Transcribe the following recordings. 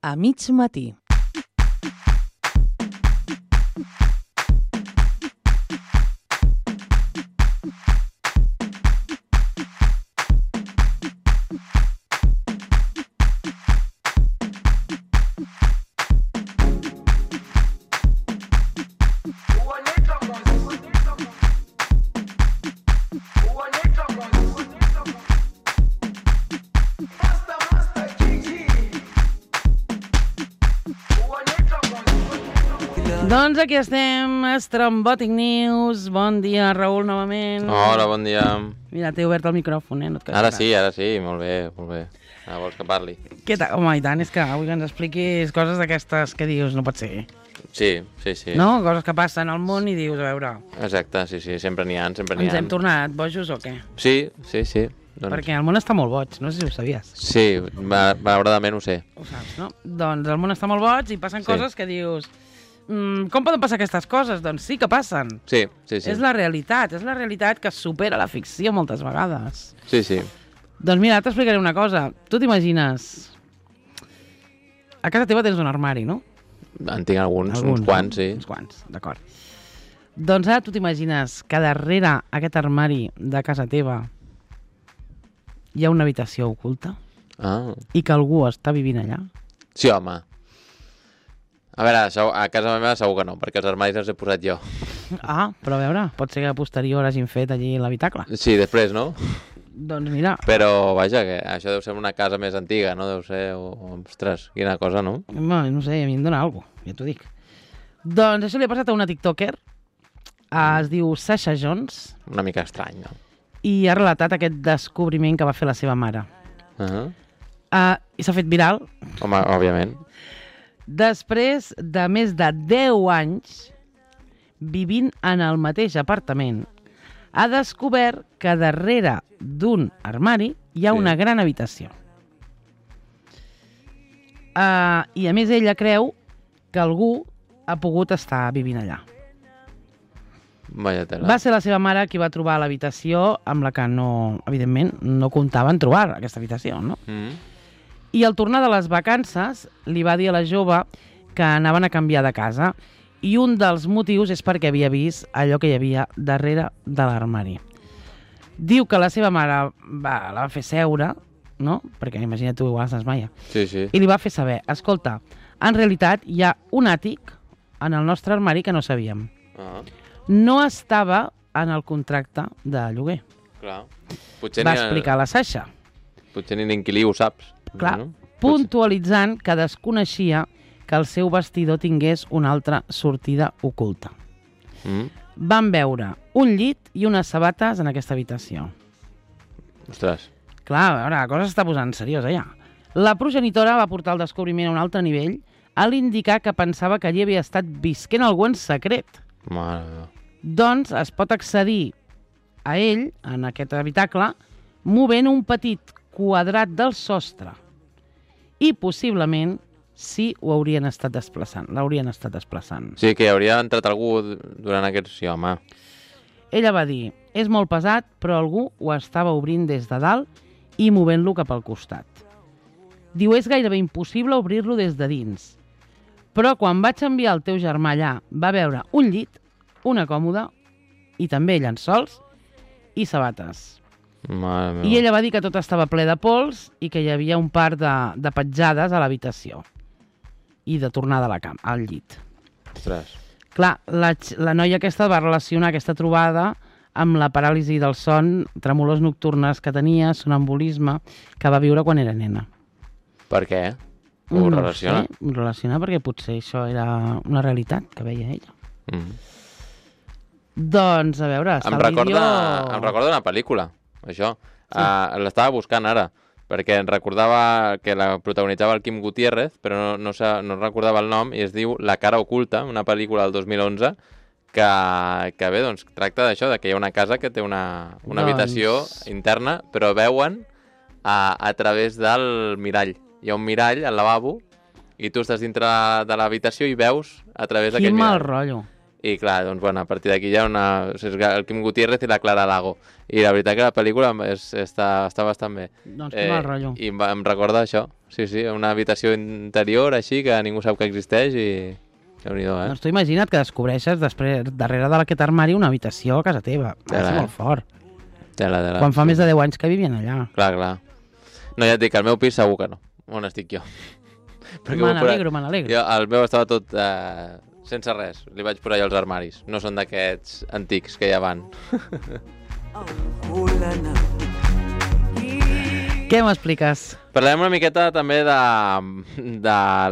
a mig matí. Doncs aquí estem, Estrambòtic News. Bon dia, Raül, novament. Hola, bon dia. Mira, t'he obert el micròfon, no et Ara sí, molt bé, molt bé. Ara vols que parli? Què tal? Home, i tant, és que avui que ens expliquis coses d'aquestes que dius, no pot ser. Sí. No? Coses que passen al món i dius, a veure... Exacte, sí, sempre n'hi ha, Ens hem tornat bojos o què? Sí. Doncs... Perquè el món està molt boig, no sé si ho sabies. Sí, malauradament ho sé. Ho saps, no? Doncs el món està molt boig i passen coses que dius... com poden passar aquestes coses? Doncs sí que passen. Sí. És la realitat que supera la ficció moltes vegades. Sí. Doncs mira, t'explicaré una cosa. Tu t'imagines... A casa teva tens un armari, no? En tinc alguns uns quants, sí. Uns quants, d'acord. Doncs ara tu t'imagines que darrere aquest armari de casa teva hi ha una habitació oculta? I que algú està vivint allà? Sí, home. A veure, a casa meva segur que no, perquè els armaris els he posat jo. Però a veure, pot ser que a posterior hagin fet allí l'habitacle. Sí, després, no? Doncs mira... Però, vaja, que això deu ser una casa més antiga, no? Deu ser... Ostres, quina cosa, no? No sé, a mi em dóna alguna cosa, ja t'ho dic. Doncs això li ha passat a una tiktoker, es diu Sasha Jones. Una mica estrany, no? I ha relatat aquest descobriment que va fer la seva mare. I s'ha fet viral. Home, òbviament. Després de més de 10 anys vivint en el mateix apartament, ha descobert que darrere d'un armari hi ha una gran habitació. I a més ella creu que algú ha pogut estar vivint allà. Va ser la seva mare qui va trobar l'habitació amb la que evidentment no comptava en trobar aquesta habitació, no? I al tornar de les vacances li va dir a la jove que anaven a canviar de casa i un dels motius és perquè havia vist allò que hi havia darrere de l'armari. Diu que la seva mare la va fer seure, no? Perquè imagina't tu, igual se'ns maia. Sí. I li va fer saber, escolta, en realitat hi ha un àtic en el nostre armari que no sabíem. No estava en el contracte de lloguer. Clar. Va explicar la Sasha. Potser ni l'inquilí ho saps. Clar, puntualitzant que desconeixia que el seu vestidor tingués una altra sortida oculta. Van veure un llit i unes sabates en aquesta habitació. Ostres. Clar, a veure, la cosa s'està posant seriosa ja. La progenitora va portar el descobriment a un altre nivell a l'indicar que pensava que allí havia estat visquent algú en secret. Mare. Doncs es pot accedir a ell, en aquest habitacle, movent un petit quadrat del sostre. I possiblement sí ho haurien estat desplaçant, l'haurien estat desplaçant. Sí, que hauria entrat algú durant aquests... Sí, home. Ella va dir, és molt pesat, però algú ho estava obrint des de dalt i movent-lo cap al costat. Diu, és gairebé impossible obrir-lo des de dins. Però quan vaig enviar el teu germà allà, va veure un llit, una còmoda i també llençols i sabates. I ella va dir que tot estava ple de pols i que hi havia un par de petjades a l'habitació i de tornada a la cama, al llit. Ostres. Clar, la noia aquesta va relacionar aquesta trobada amb la paràlisi del son, tremolors nocturnes que tenia, sonambulisme, que va viure quan era nena. Per què? Ho relaciona? No sé, ho relaciona perquè potser això era una realitat que veia ella. Doncs, a veure, em recorda una pel·lícula, això. Sí. L'estava buscant ara, perquè recordava que la protagonitzava el Quim Gutiérrez, però no recordava el nom, i es diu La cara oculta, una pel·lícula del 2011, que bé, doncs, tracta d'això, que hi ha una casa que té una habitació interna, però veuen a través del mirall. Hi ha un mirall al lavabo, i tu estàs dintre de l'habitació i veus a través d'aquell mirall. Quin mal rotllo. I clar, doncs, bueno, a partir d'aquí hi ha el Quim Gutiérrez i la Clara Lago. I la veritat que la pel·lícula està bastant bé. Doncs que mal rotllo. I em recorda això. Sí, una habitació interior així que ningú sap que existeix i... Déu-n'hi-do, Doncs tu imagina't que descobreixes després, darrere d'aquest armari, una habitació a casa teva. Va ser molt fort. Tela. Quan fa més de 10 anys que vivien allà. Clar. No, ja et dic, el meu pis segur que no. On estic jo? Me n'alegro. El meu estava tot sense res. Li vaig posar jo els armaris. No són d'aquests antics que ja van. Què m'expliques? Parlem una miqueta també de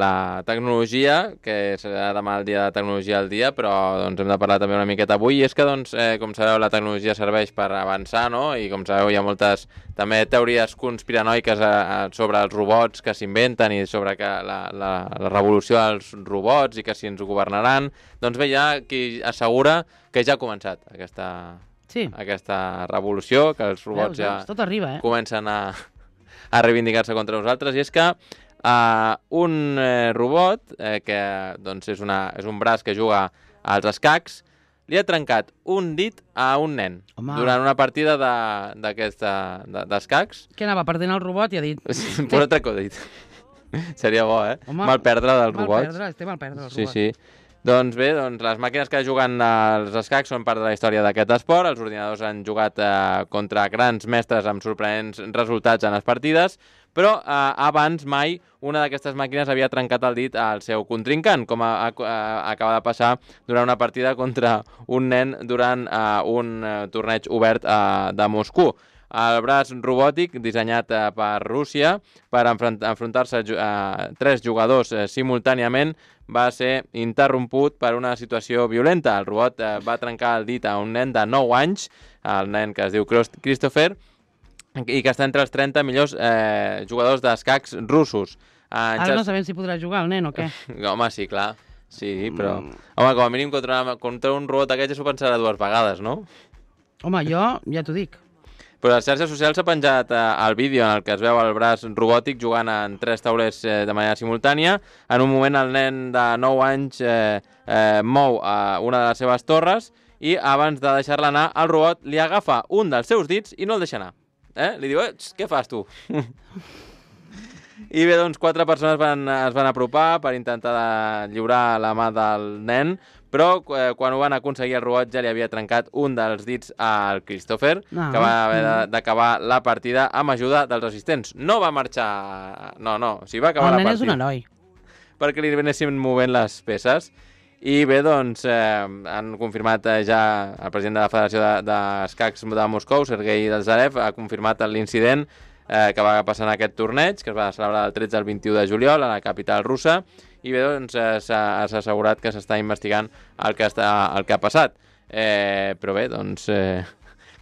la tecnologia, que serà demà el dia de tecnologia al dia, però doncs, hem de parlar també una miqueta avui. I és que, doncs, com sabeu, la tecnologia serveix per avançar, no? I com sabeu, hi ha moltes també teories conspiranoiques sobre els robots que s'inventen i sobre que la revolució dels robots i que si ens ho governaran. Doncs bé, hi ha qui assegura que ja ha començat aquesta revolució, que els robots tot arriba, comencen a reivindicar-se contra nosaltres, i és que un robot que doncs és un braç que juga als escacs li ha trencat un dit a un nen. Home. Durant una partida d'escacs. Que anava perdent el robot i ha dit... Posa tracodit. Seria bo, Mal perdre dels robots. Mal perdre els robots. Sí. Doncs bé, les màquines que juguen als escacs són part de la història d'aquest esport. Els ordinadors han jugat contra grans mestres amb sorprenents resultats en les partides, però abans mai una d'aquestes màquines havia trencat el dit al seu contrincant, com acaba de passar durant una partida contra un nen durant un torneig obert de Moscou. El braç robòtic, dissenyat per Rússia per enfrontar-se a 3 jugadors simultàniament, va ser interromput per una situació violenta. El robot va trencar el dit a un nen de 9 anys, el nen que es diu Christopher, i que està entre els 30 millors jugadors d'escacs russos. Ara no sabem si podrà jugar el nen o què. Home, sí, clar. Sí, però... Home, com a mínim contra un robot d'aquest ja s'ho pensarà 2 vegades, no? Home, jo ja t'ho dic. Però a les xarxes socials s'ha penjat el vídeo en el que es veu el braç robòtic jugant en 3 taulers de manera simultània. En un moment el nen de 9 anys mou una de les seves torres i abans de deixar-la anar, el robot li agafa un dels seus dits i no el deixa anar. Li diu, què fas tu? I bé, doncs 4 persones es van apropar per intentar lliurar la mà del nen, però quan ho van aconseguir el robot ja li havia trencat un dels dits al Christopher, que va haver d'acabar la partida amb ajuda dels assistents. No va marxar... No, o sigui, va acabar la partida. El nen és un heroi. Perquè li anessin movent les peces. I bé, doncs, han confirmat ja el president de la Federació d'Escacs de Moscou, Sergei Zarev, ha confirmat l'incident que va passar en aquest torneig, que es va celebrar del 13 al 21 de juliol a la capital russa, i bé, doncs, s'ha assegurat que s'està investigant el que ha passat. Però bé, doncs,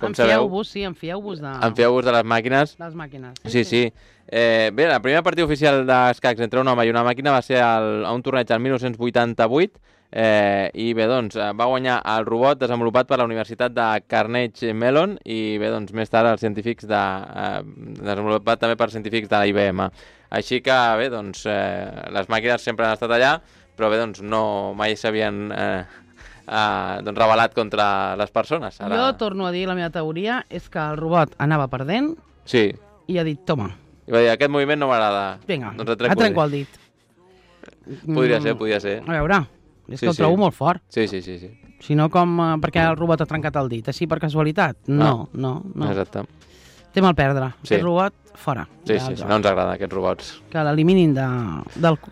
com sabeu... Enfieu-vos de... Enfieu-vos de les màquines. Les màquines. Sí. Bé, la primera partida oficial d'escacs entre un home i una màquina va ser a un torneig el 1988, i bé, doncs, va guanyar el robot desenvolupat per la Universitat de Carnegie Mellon i bé, doncs, més tard els científics desenvolupat també per científics de la IBM. Així que bé, doncs, les màquines sempre han estat allà, però bé, doncs, no mai s'havien revelat contra les persones. Ara... Jo torno a dir, la meva teoria és que el robot anava perdent i ha dit, toma. I va dir, aquest moviment no m'agrada. Vinga, doncs et trenco el dit. Podria ser. A veure... És que ho trobo molt fort. Sí. Si no, com perquè el robot ha trencat el dit? Així per casualitat? No. Exacte. Té mal perdre. Aquest robot, fora. Sí, no ens agrada aquests robots. Que l'eliminin de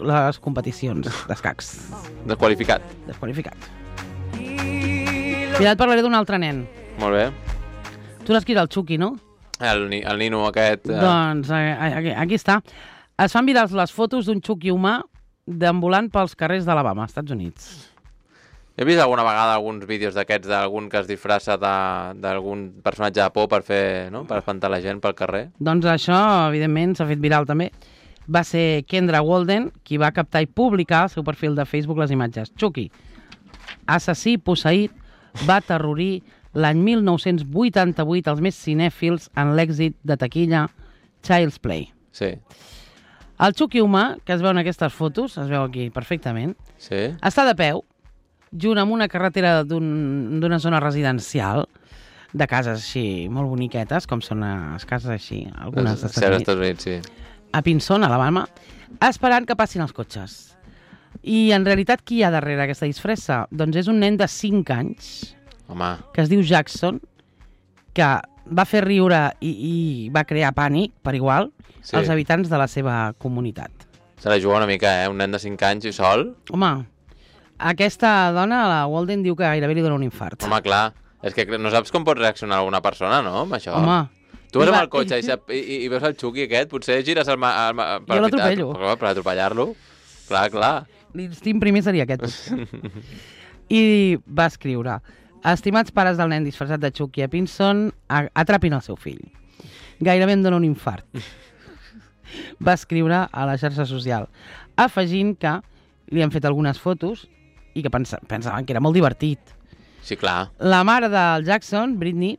les competicions d'escacs. Desqualificat. Mira, et parlaré d'un altre nen. Molt bé. Tu l'has qui era el Chucky, no? El nino aquest. Doncs aquí està. Es fan virals les fotos d'un Chucky humà deambulant pels carrers d'Alabama, Estats Units. He vist alguna vegada alguns vídeos d'aquests d'algun que es disfressa d'algun personatge de por per fer, no? Per espantar la gent pel carrer. Doncs això, evidentment, s'ha fet viral també. Va ser Kendra Walden qui va captar i publicar al seu perfil de Facebook les imatges. Chucky, assassí posseït, va aterrorir l'any 1988 els més cinèfils en l'èxit de taquilla Child's Play. Sí. El Chucky humà, que es veu en aquestes fotos, es veu aquí perfectament, està de peu, junt amb una carretera d'una zona residencial, de cases així molt boniquetes, com són les cases així, algunes d'Estats Units. Sí. a Pinson, a Alabama, esperant que passin els cotxes. I en realitat qui hi ha darrere aquesta disfressa? Doncs és un nen de 5 anys, Home. que es diu Jackson, que va fer riure i va crear pànic, per igual, als habitants de la seva comunitat. Se la juga una mica, un nen de 5 anys i sol. Home, aquesta dona, la Walden, diu que gairebé li dona un infart. Home, clar, és que no saps com pot reaccionar alguna persona, no, amb això? Home. Tu vas amb el cotxe i veus el Chucky aquest, potser gires el... Jo l'atropello. Per atropellar-lo. Clar. L'instint primer seria aquest. I va escriure: estimats pares del nen disfressat de Chucky a Pinson, atrapin el seu fill. Gairebé em dona un infart. Va escriure a la xarxa social, afegint que li han fet algunes fotos i que pensaven que era molt divertit. Sí, clar. La mare del Jackson, Britney,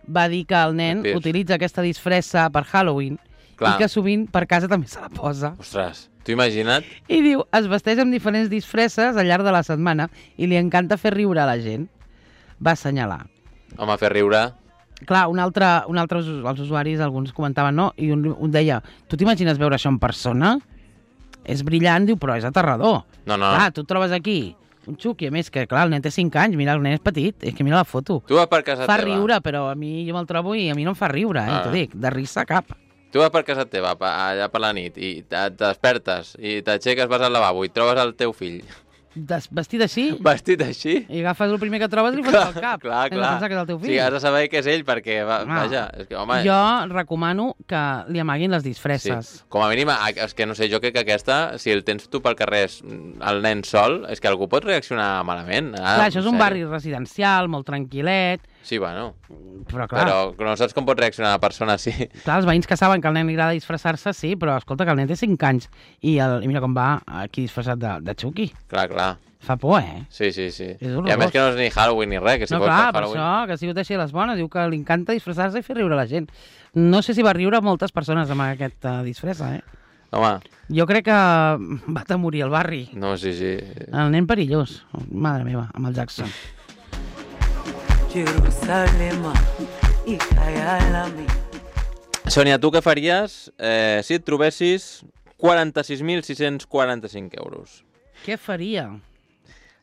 va dir que el nen utilitza aquesta disfressa per Halloween i que sovint per casa també se la posa. Ostres, t'ho imagina't? I diu, es vesteix amb diferents disfresses al llarg de la setmana i li encanta fer riure a la gent. Va assenyalar. Home, fer riure... Clar, els usuaris, alguns comentaven no, i un deia, tu t'imagines veure això en persona? És brillant, diu, però és aterrador. No. Clar, tu et trobes aquí un Chucky, a més que, clar, el nen té 5 anys, mira, el nen és petit, és que mira la foto. Tu vas per casa teva. Fa riure, però a mi jo me'l trobo i a mi no em fa riure, t'ho dic, de risa cap. Tu vas per casa teva, allà per la nit, i et despertes, i t'aixeques, vas al lavabo i trobes el teu fill. Vestit així? Vestit així? I agafes el primer que trobes i li fots al cap. Clar. Que és el teu fill. Sí, has de saber que és ell, perquè, vaja... És que, home... Jo recomano que li amaguin les disfresses. Sí. Com a mínim, és que no sé, jo crec que aquesta, si el tens tu pel carrer el nen sol, és que algú pot reaccionar malament. Clar, això és un barri residencial, molt tranquil·let. Sí, bueno. Però no saps com pot reaccionar la persona així. Clar, els veïns que saben que al nen li agrada disfressar-se, sí, però escolta, que el nen té 5 anys i mira com va aquí disfressat de Chucky. Clar. Fa por, Sí. I a més que no és ni Halloween ni res, que si no, pot clar, per Halloween... No, clar, per això, que si ho deixi a les bones, diu que li encanta disfressar-se i fer riure la gent. No sé si va riure moltes persones amb aquesta disfressa, Home. Jo crec que va atemorir el barri. No, sí. El nen perillós, madre meva, amb el Jackson. Sònia, tu què faries si et trobessis 46.645 euros? Què faria?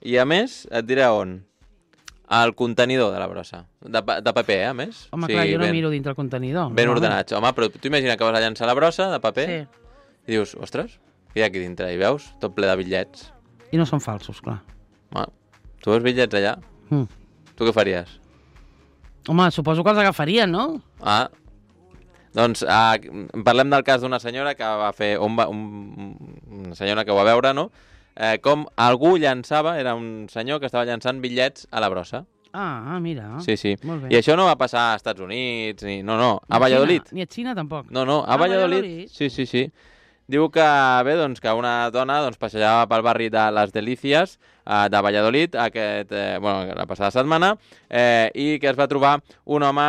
I a més, et diré on. Al contenidor de la brossa. De paper, a més. Home, clar, jo no miro dintre el contenidor. Ben ordenats. Home, però tu imagina que vas a llançar la brossa de paper i dius, ostres, què hi ha aquí dintre? I veus tot ple de bitllets. I no són falsos, clar. Home, tu veus bitllets allà? Tu què faries? Home, suposo que els agafarien, no? Doncs parlem del cas d'una senyora que va fer... Una senyora que ho va veure, no? Com algú llançava, era un senyor que estava llançant bitllets a la brossa. Mira. Sí. Molt bé. I això no va passar als Estats Units, no, a Valladolid. Ni a Xina, tampoc. No, a Valladolid. Sí. Diu que, que una dona passejava pel barri de Les Delícies de Valladolid la passada setmana i que es va trobar un home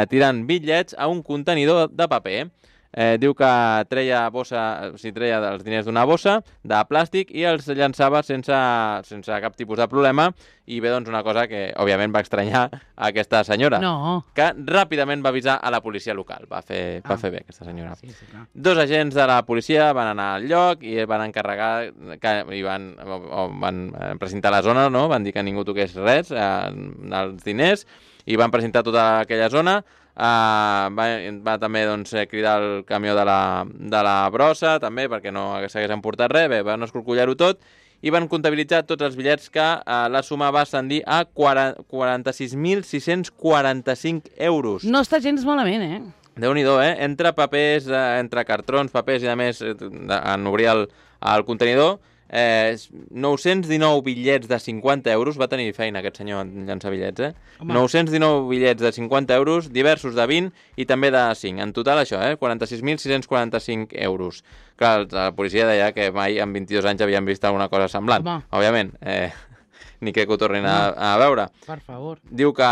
tirant bitllets a un contenidor de paper. Diu que treia els diners d'una bossa de plàstic i els llançava sense cap tipus de problema i bé, doncs una cosa que òbviament va estranyar a aquesta senyora, que ràpidament va avisar a la policia local. Va fer bé aquesta senyora. Sí, clar. 2 agents de la policia van anar al lloc i van encarregar i van precintar la zona, no? Van dir que ningú toqués res dels diners i van precintar tota aquella zona. Va també cridar el camió de la brossa també perquè no s'hagués emportat res. Van escorcollar-ho tot i van comptabilitzar tots els bitllets que la suma va ascendir a 46.645 euros. No està gens malament, Déu-n'hi-do, entre papers, entre cartrons, papers i a més en obrir el contenidor 919 bitllets de 50 euros, va tenir feina aquest senyor en llançar bitllets, 919 bitllets de 50 euros, diversos de 20 i també de 5. En total això, 46.645 euros. Clar, la policia deia que mai en 22 anys havien vist alguna cosa semblant. Òbviament, ni crec que ho tornin a veure. Per favor. Diu que,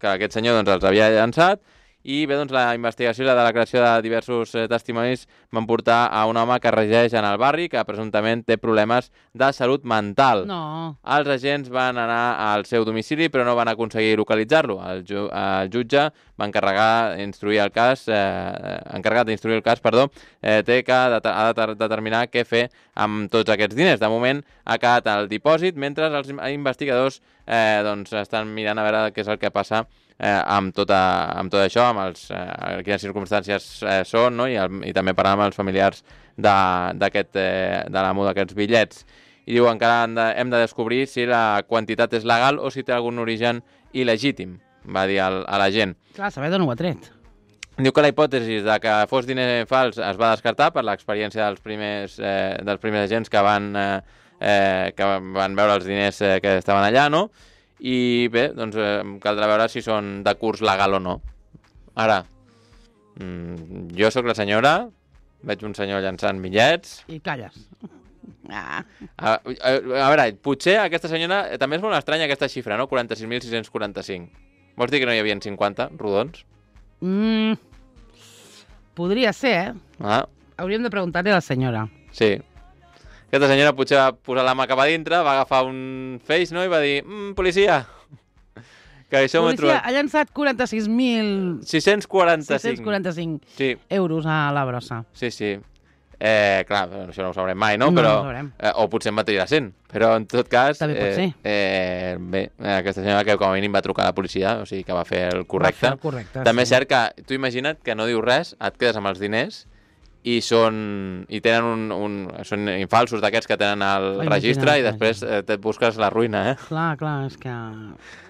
que aquest senyor els havia llançat I bé, doncs la investigació i la declaració de diversos testimonis van portar a un home que resideix en el barri que presumptament té problemes de salut mental. No. Els agents van anar al seu domicili però no van aconseguir localitzar-lo. El jutge va encarregar d'instruir el cas, té que determinar què fer amb tots aquests diners. De moment ha quedat al dipòsit mentre els investigadors doncs estan mirant a veure què és el que passa amb tot això, amb quines circumstàncies són, no? I també parlar amb els familiars de l'amo d'aquests bitllets. I diu, encara hem de descobrir si la quantitat és legal o si té algun origen il·legítim, va dir a la gent. Clar, saber d'on ho ha tret. Diu que la hipòtesi de que fos diner fals es va descartar per l'experiència dels primers agents que van veure els diners que estaven allà, no? I bé, doncs caldrà veure si són de curs legal o no. Ara, jo sóc la senyora, veig un senyor llançant bitllets... I calles. A veure, potser aquesta senyora... També és molt estranya aquesta xifra, no? 46.645. Vols dir que no hi havia 50 rodons? Podria ser, Ah, Hauríem de preguntar-li a la senyora. sí. Aquesta senyora potser va posar la mà cap a dintre, va agafar un feix, no? I va dir, policia, que això m'ho he Policia trobat. ha llançat 46.645 645. Sí, euros a la brossa. sí. Clar, això no ho sabrem mai, no? No, Però, no ho sabrem. o potser en va tirar 100. Però, en tot cas... També pot ser. Bé, aquesta senyora que com a mínim va trucar a la policia, o sigui que va fer el correcte. Va fer el correcte, També sí. és cert que tu imagina't que no dius res, et quedes amb els diners i tenen són infalsos d'aquests que tenen al registre i després et busques la ruïna, Clar, és que...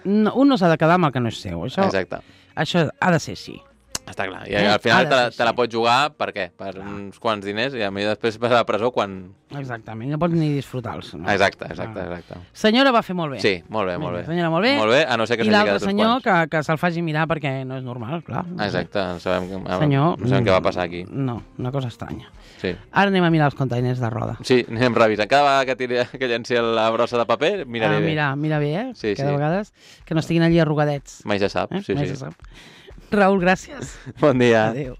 No, un no s'ha de quedar amb el que no és seu. Exacte. Això ha de ser així. Està clar. I al final Ha de ser te la així. pots jugar, per què? Per uns quants diners i a mi després vas a la presó quan... Exactament, no pots ni disfrutar-los. No? Exacte. Senyora va fer molt bé. Sí, molt bé. Senyora, molt bé. Molt bé, a no ser que I s'hagi l'altre quedat uns senyor quants. que se'l faci mirar perquè no és normal, clar. Exacte, no sabem Senyor, què va passar aquí. No, una cosa estranya. Sí. Ara anem a mirar els containers de roda. Sí, anem revisant. Cada vegada que llenci la brossa de paper, miraré bé. Mira bé, Sí, Cada sí. vegades que no estiguin allí arrugadets. Mai se sap, sí. Mai se sap. Raül, gràcies. Bon dia. Adéu.